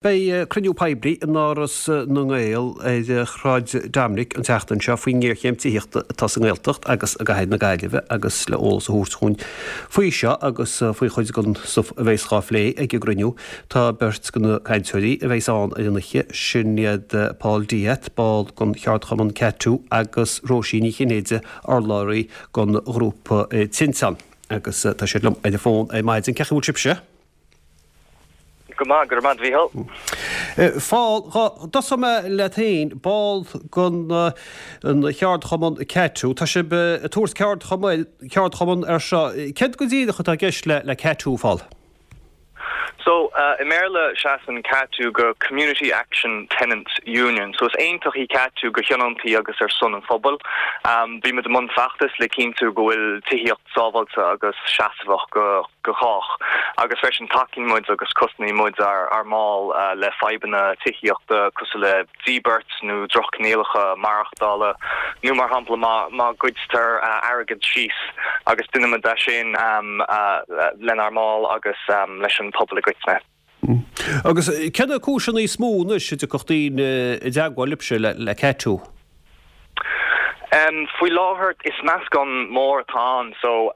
Beidh cruinniú poiblí in Áras na nGael ar Shráid Dominic an tseachtain seo faoin ngéarchéim tithíochta atá sa nGaeltacht agus i gcathair na Gaillimhe agus le eolas a thabhairt chugainn faoi seo agus faoi chuid den stuif a bheas dhá phlé ag an gcruinniú tá beirt de na cainteoirí a bheas ann ar an oíche, sin iad Paul Death, ball den cheardchumann CATU agus Róisín Ní Chinnéide, urlabhraí den ghrúpa Tinteán agus tá siad liom ar an bhfón ar maidin. Cén chaoi a bhfuil sibhse? Go maith, go raibh maith agat a Mhícheál. Phól, dhá dtosóidh mé leat féin, ball den cheardchumann CATU, tá sibh ag tabhairt ceardchumann air seo. Céard go díreach atá i gceist le CATU, a Phóil? So, i mBéarla seasann CATU go Community Action Tenants Union. So is aontacht í CATU go thionóntaí agus ar son an phobail. Bímid i mbun feachtas le cinntiú go bhfuil tithíocht sábháilte agus seasmhach go chách agus freisin tacaíonn muid agus cosnaíonn muid ár mball le fadhbanna tithíochta cosúil le díbirt nó drochchoinníollacha maireachtála nó mar shampla má ghoidtear airgead síos agus déanaimid é sin lenár mbaill agus leis an pobal i gcoitinne. Agus cé na cúiseanna is mó anois a dtiocfadh daoine i dteagmháil libhse le CATU? Faoi láthair is meascán mór atá ann so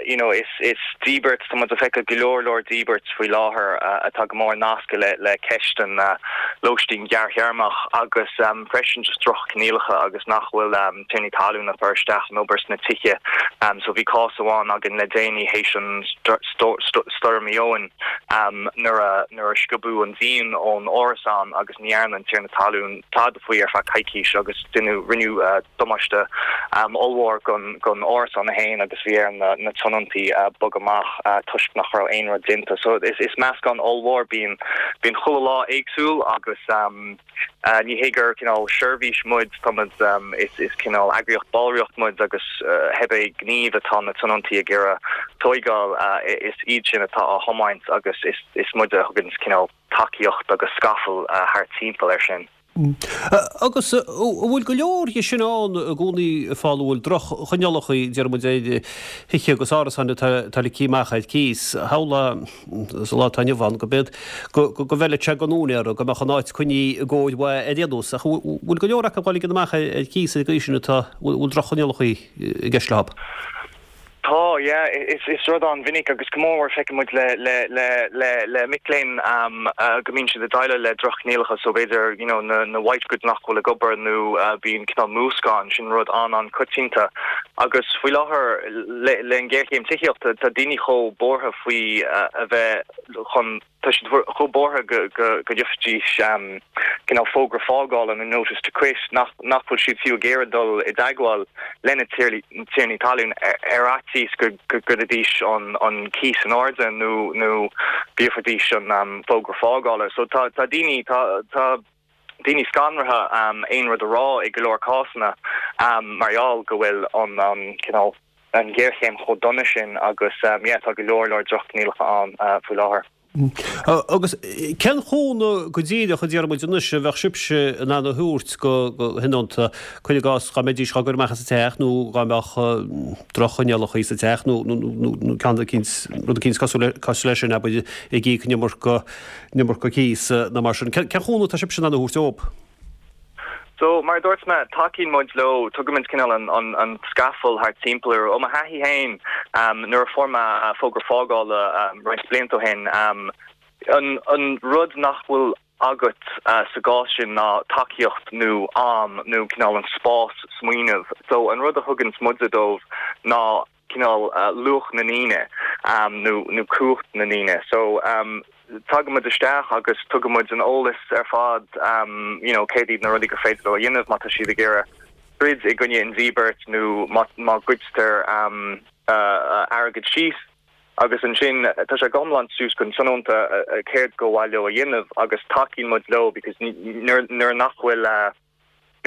you know is is díbirt, tá muid ag feiceáil go leor leor díbirt faoi láthair atá go mór nasctha le le ceist an lóistín ghearrthéarmach agus freisin just droch-choinníollacha agus nach bhfuil tiarnaí talún ag cur isteach an obair sna tithe. So bhí cás amháin againn le déanaí théis an stoirm Éowyn nuair a nuair a sciobadh an díon ón árasán agus ní dhearna an tiarna talún tada faoi ar feadh coicís agus deineadh rinneadh damáiste ollmhór gon gon árasán é féin agus bhí ar na na tionóntaí bogadh amach toisc nach raibh aon rud déanta. So is is meascán ollmhór bíonn bíonn chuile lá éagsúil agus Ní hé gur cineál seirbhís muid, tá muid, is cineál eagraíocht ballraíocht muid agus cibé gníomh atá na tionóntaí ag iarraidh tóigeáil, is iad sin atá á thiomáint agus is muide a thugann cineál tacaíocht agus scafall thart timpeall air sin. Agus an bhfuil go leor dhe sin ann i gcónaí a Phóil, an bhfuil droch-choinníollacha, deir muid, ar thithe agus árasáin atá ligthe amach ar cíos? Shamhlófá sa lá atá inniu ann, go b'fhéidir go bhfeilfeadh sé don úinéara go mbeadh an áit coinnithe i gcóir mhaith ar aon nós. Ach an bhfuil go leor acu dhá ligean amach ar cíos ar an gcaoi sin atá, bhfuil droch-choinníollacha i gceist leo? Tá, yeah. Is rud an-mhinic agus go mór mór feiceann muid le, le, le, le, le mic léinn go mbíonn siad ag déileáil le droch-choinníollacha so b'fhéidir, you know, na, na white goods nach bhfuil ag obair nó bíonn cineál múscáin, sin rud an-an-coitianta. Agus faoi láthair le, le an ghéarchéim tithíochta tá daoine chomh buartha faoi a bheith chun, tá siad chomh buartha go gheobhaidís cineál fógra fágála nó notice to quit nach bhfuil siad fiú ag iarraidh dul i dteagmháil lena tiarnaí talún ar fhaitíos go gcuirfidís an cíos in airde nó nó go gheobhaidís an fógra fágála. So tá daoine, tá daoine scanraithe aon rud a rá i go leor cásanna mar gheall go bhfuil an cineál an ghéarchéim chomh dona sin agus yeah tá go leor leor droch-choinníollacha ann faoi láthair. Agus cén chúnamh go díreach a déarfaidh muid anois a bheadh sibhse in ann a thabhairt do thionónta, cuir i gcás dá mbeidís á gcur amach as an teach nó dá mbeadh droch-choinníollacha sa teach nó ceann eicínt, rud eicínt cosúil leis sin, abair, ag íoc an iomarca, an iomarca cíos nó mar sin. Cén chúnamh atá sibhse in ann a thabhairt dóibh? So, mar a dúirt mé, tacaíonn muid leo, tugaimid cineál an scafall thart timpeall orthu. Ó mo thaithí féin, nuair a fuair mé fógra fágála roinnt blianta ó shin, an rud nach bhfuil agat sa gcás sin ná tacaíocht nó am nó cineál an spás smaoineamh. So, an rud a thuganns muide dóibh ná cineál luach na ndaoine nó nó cumhacht na ndaoine. So tagaimid isteach agus tugaimid an eolas ar fad you know céard iad na rudaí gur féidir leo a dhéanamh má tá siad ag iarraidh troid i gcoinne an díbirt nó má má goidtear airgead síos. Agus ansin tá sé go hiomlán suas don tionónta céard gur mhaith leo a dhéanamh agus tacaíonn muid leo because nuair nuair nach bhfuil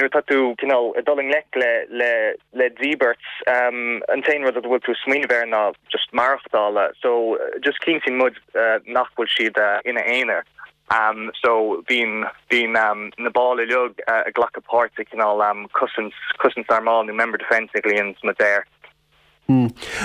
Nuair atá tú cineál ag dul i ngleic le le le díbirt, an t-aon rud a bhfuil tú ag smaoineamh air ná just maireachtála. So just cinntíonn muid nach bhfuil siad ina aonar. So bíonn bíonn na baill uilig ag glacadh páirt i cineál cosaint cosaint ár mball nó member defence a ghlaonn muid air.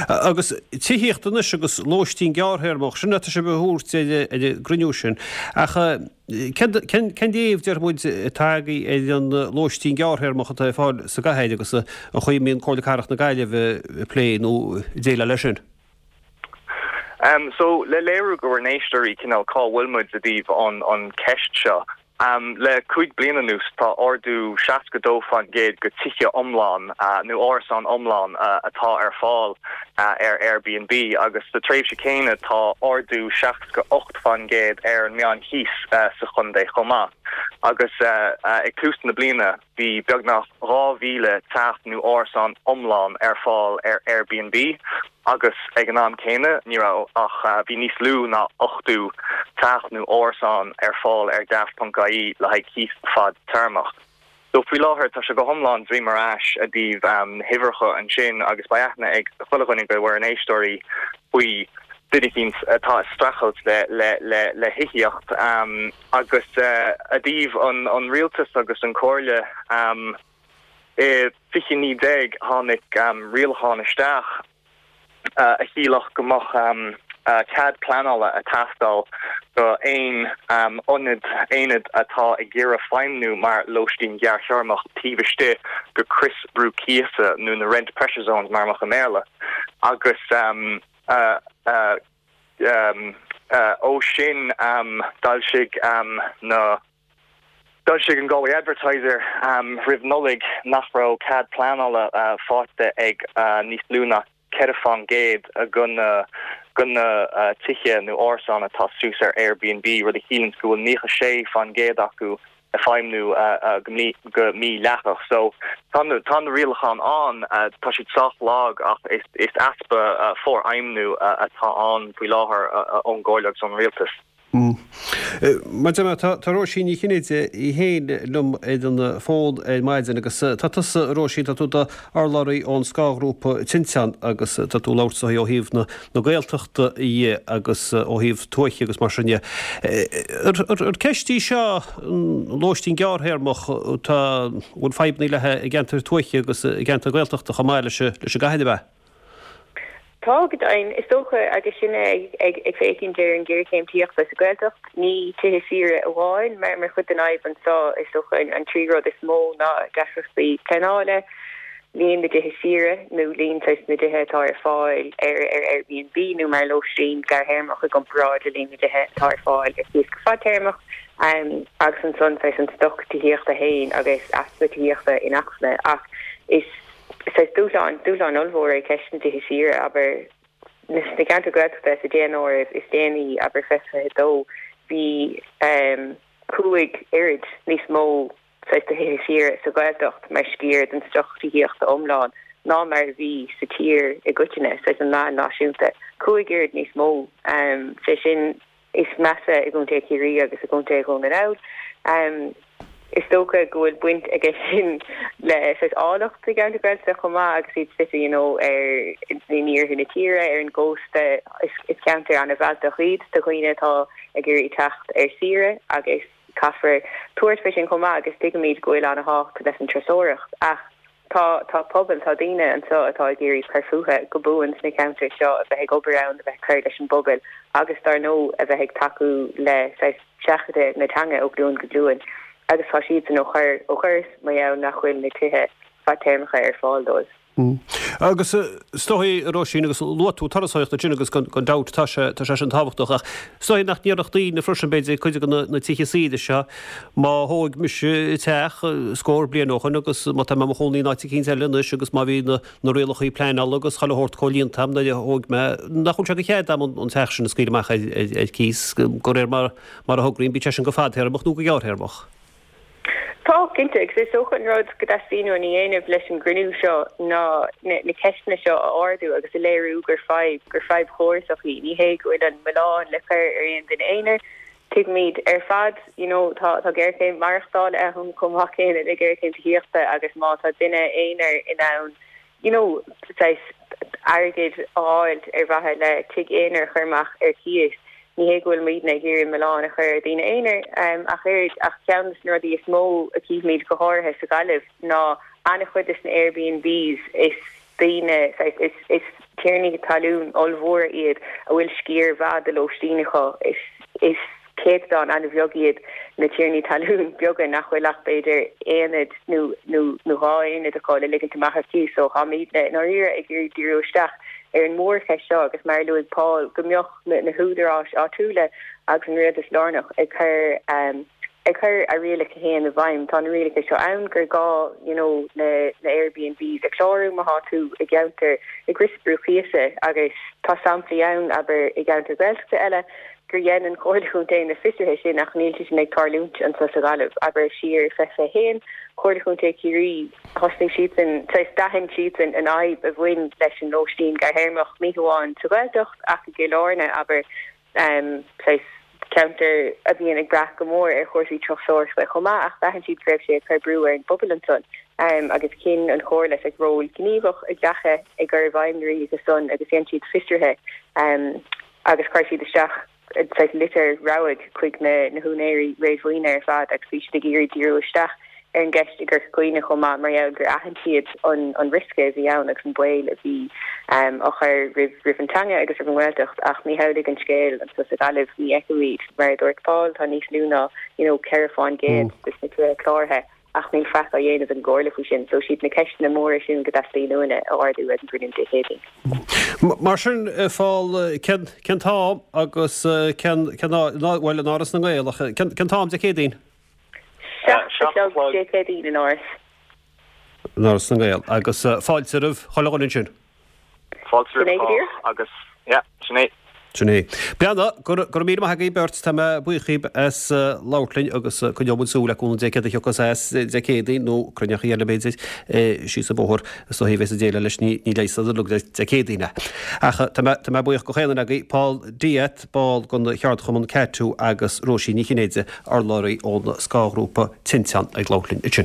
Agus tithíocht anois agus lóistín gearrthéarmach, sin atá sibh a thabhairt ar an gcruinniú sin. Ach cén léamh, déarfaidh muid, atá agaibh ar an lóistín gearrthéarmach atá ar fáil sa gcathair agus an chaoi a mbíonn Comhairle Cathrach na Gaillimhe ag plé nó ag déileáil leis sin? So, le léiriú do bhur n-éisteoirí cineál cá bhfuil muid i dtaobh an ceist seo, Le 5 bliana anuas tá ardú 62% go tithe iomlán nó árasán iomlán atá ar fáil ar Airbnb agus sa tréimhse céanna tá ardú 68% ar an meán chíos sa chontae chomh maith. Agus ag tús na bliana bhí beagnach 2,000 teach nó árasán iomlán ar fáil ar Airbnb agus ag an am céanna ní raibh ach bhí níos lú ná 80 teach nó árasán ar fáil ar Daft.ie le haghaidh cíos fadtéarmach. So faoi láthair tá sé go hiomlán droim ar ais i dtaobh na huimhreacha ansin agus beidh aithne ag chuile dhuine de bhur n-éisteoirí faoi duine eicínt atá ag streachailt le le le le thithíocht agus i dtaobh an an rialtas agus an comhairle i 2019 tháinig rialachán isteach a chiallódh go mbeadh cead pleanála ag teastáil do aon ionad, aonad atá ag iarraidh feidhmniú mar lóistín ghearrthéarmach taobh istigh de chrios brú cíosa nó na rent pressure zones mar a mbeadh i mBéarla agus ó sin d'fhoilsigh na D'fhoilsigh an Galway Advertiser roimh Nollaig nach raibh cead pleanála faighte ag níos lú ná 4% de na de na tithe nó árasáin atá suas ar Airbnb, rud a chiallaíonns go bhfuil 96% acu ag feidhmniú go mídhleathach. So tá tá na rialacháin ann, tá siad sách lag ach is easpa forfheidhmniú atá ann faoi láthair ón gComhairle agus ón Rialtas. Mar a deir mé, tá Róisín Ní Chinnéide í féin liom ar an bhfón ar maidin agus tá tusa, a Róisín, tá tú i d'urlabhraí ón scáthghrúpa Tinteán agus tá tú ag labhairt ó thaobh na Gaeltachta dhe agus ó thaobh tuaithe agus mar sin dhe. Ar ceist í seo, an lóistín gearrthéarmach, tá, bhfuil fadhbanna léi i gceantair tuaithe agus i gceantair Ghaeltachta chomh maith leis an gcathair, ab ea? Tá, go deimhin. Is dócha, agus sinne ag féachaint ar an ghéarchéim tithíochta sa Ghaeltacht, ní tithe saoire amháin mar chuid den fhadhb anseo. Is dócha an trí rud is mó ná deacrachtaí pleanála, líon na dtithe saoire nó líon saghas na dtithe atá ar fáil ar Airbnb nó mar lóistín gearrthéarmach i gcomparáid le líon na dtithe atá ar fáil ar cíos go fadtéarmach, agus ansan saghas an stoc tithíochta féin agus easpa tithíochta inacmhainne. Ach is. Saghas dúshlán, dúshlán ollmhór é ceist na dtithe saoire, abair, sna ceantair Ghaeltachta sa daonáireamh is déanaí, abair, 2022, bhí 5 oiread níos mó saghas de thithe saoire sa Ghaeltacht mar sciar den stoc tithíochta iomlán ná mar a bhí sa tír i gcoitinne, saghas an meán náisiúnta, 5 oiread níos mó, sé sin. is measa i gContae Chiarraí agus i gContae Dhún na nGall. Is dócha go bhfuil baint aige sin le saghas áilleacht na gceantar Gaeltachta chomh maith agus iad suite you know ar in iarthar na tíre, ar an gcósta. Is ceantair an-mhealltach iad do dhaoine atá ag iarraidh teacht ar saoire agus caithfear tabhairt faoi sin chomh maith agus tuigimid go bhfuil an-thábhacht leis an turasóireacht ach Tá, tá pobal, tá daoine anseo atá ag iarraidh cur fúthu go buan sna ceantair seo, a bheith ag obair ann, a bheith ag cur leis an bpobal agus dar ndóigh a bheith ag tacú le saghas seachadadh na teanga ó ghlúin go glúin agus tá siadsan á chur ó dhoras mar gheall nach bhfuil na tithe fadtéarmacha ar fáil dóibh. Agus is dóigh, a Róisín, agus luaigh tú turasóireacht ansin agus gan dabht tá sé, tá sé sin tábhachtach ach is dóigh nach ndéarfadh daoine freisin b'fhéidir cuid de na tithe saoire seo Má thóig mise teach scór bliain ó shoin agus má tá mé i mo chónaí in áit eicínt eile anois agus má bhí na rialachaí pleanála agus chuile shórt comhlíonta agam nuair a thóig mé, nach bhfuil sé de chead agam an teach sin a scaoileadh amach ar cíos de réir mar a thograím, bíodh sé sin go fadthéarmach nó go gearrthéarmach. Tá, cinnte, agus is dócha an rud go dteastaíonn uainn a dhéanamh leis an gcruinniú seo ná na ceisteanna seo a ardú agus a léiriú gur fadhb, gur fadhb chórasach í. Ní hé go bhfuil an milleán le cur ar aon duine aonair, Tuigimid ar fad, you know, tá tá géarchéim maireachtála ann chomh maith céanna le géarchéim tithíochta agus má tá duine aonair in ann, you know, saghas airgead a fháil ar mhaithe le tigh aonair a chur amach ar cíos, ní hé go bhfuil muidne ag iarraidh milleán a chur ar dhaoine aonair ach oiread, ach ceann de na rudaí is mó a chífimid go háirithe sa Ghaillimh ná an-chuid de na Airbnbs is. daoine, saghas, is, is tiarnaí talún ollmhóra iad a bhfuil sciar mhaith de lóistín acu. Is, is céatadán an-bheag iad na tiarnaí talún beaga nach bhfuil ach b'fhéidir aonad nó, nó, nó 2 aonad acu le ligint amach ar cíos. So táimidne i ndáiríre ag iarraidh díriú isteach ar an mhórcheist seo agus mar a luaigh Paul go mbeadh na, na húdaráis áitiúla agus an rialtas lárnach ag cur, ag cur a rialacha féin i bhfeidhm. Tá na rialacha seo ann gur gá you know na na Airbnbs a chlárú má thá tú i gceantar ag riosca brú cíosa agus tá samplaí ann, abair, i gceantair Ghaeltachta eile gur dhein an Chomhairle Chontae na fiosruithe sin ach níl sé sin ag tarlúint anseo sa Ghaillimh. Abair, siar i 2021, Comhairle Chontae Chiarraí, thosnaigh siadsan, saghas, d'aithin siadsan an fhadhb a bhain leis an lóistín gearrthéarmach, ní hamháin sa Ghaeltacht ach i gCill Airne, abair. saghas ceantar a bhíonn ag brath go mór ar chúrsaí turasóireachta chomh maith ach d'aithin siad go raibh sé ag cur brú ar an bpobal ansan agus chinn an Chomhairle saghas ról gníomhach a ghlacadh i gcur i bhfeidhm na rialacha san agus dhein siad fiosruithe agus chuir siad isteach saghas litir rabhaidh chuig na na húinéirí réadmhaoine ar fad agus bhí siad ag iarraidh díriú isteach ar an gceist i gCorca Dhuibhne chomh maith mar gheall gur aithin siad an riosca a bhí ann agus an baol a bhí á chur roimh an teanga agus roimh an nGaeltacht ach ní hamhlaidh an scéal anseo sa Ghaillimh, ní fheicimid, mar a dúirt Paul, tá níos lú ná you know 4 fán gcéad de na tithe cláraithe ach níl faic á dhéanamh ag an gComhairle faoi sin. So siad na ceisteanna móra sin go dteastaíonn uainne a ardú ag an gcruinniú Dé Céadaoin. Mar sin, Paul, cén cén t-am agus cén cén bhuel in Áras na nGael ach cén cén t-am Dé Céadaoin? 7 a chlog Dé Céadaoin in Áras. In Áras na nGael. Agus fáilte roimh chuile dhuine ansin. Fáilte roimh chách agus yeah, sin é. Sin é. Breathnaigh, go raibh míle maith agaibh beirt, tá mé buíoch dhíbh as labhairt linn agus coinneoidh muid súil le cúnamh Dé céard a thiocfas as Dé Céadaoin nó cruinneachaí eile b'fhéidir síos an bóthar is dóichí a bheas ag déileáil leis ní leigheasfar uilig le Dé Céadaoin é. Ach tá mé tá mé buíoch de chaon duine agaibh, Paul Deat, ball den cheardchumann CATU agus Róisín Ní Chinnéide, urlabhraí ón scáthghrúpa Tinteán ag labhairt linn ansin.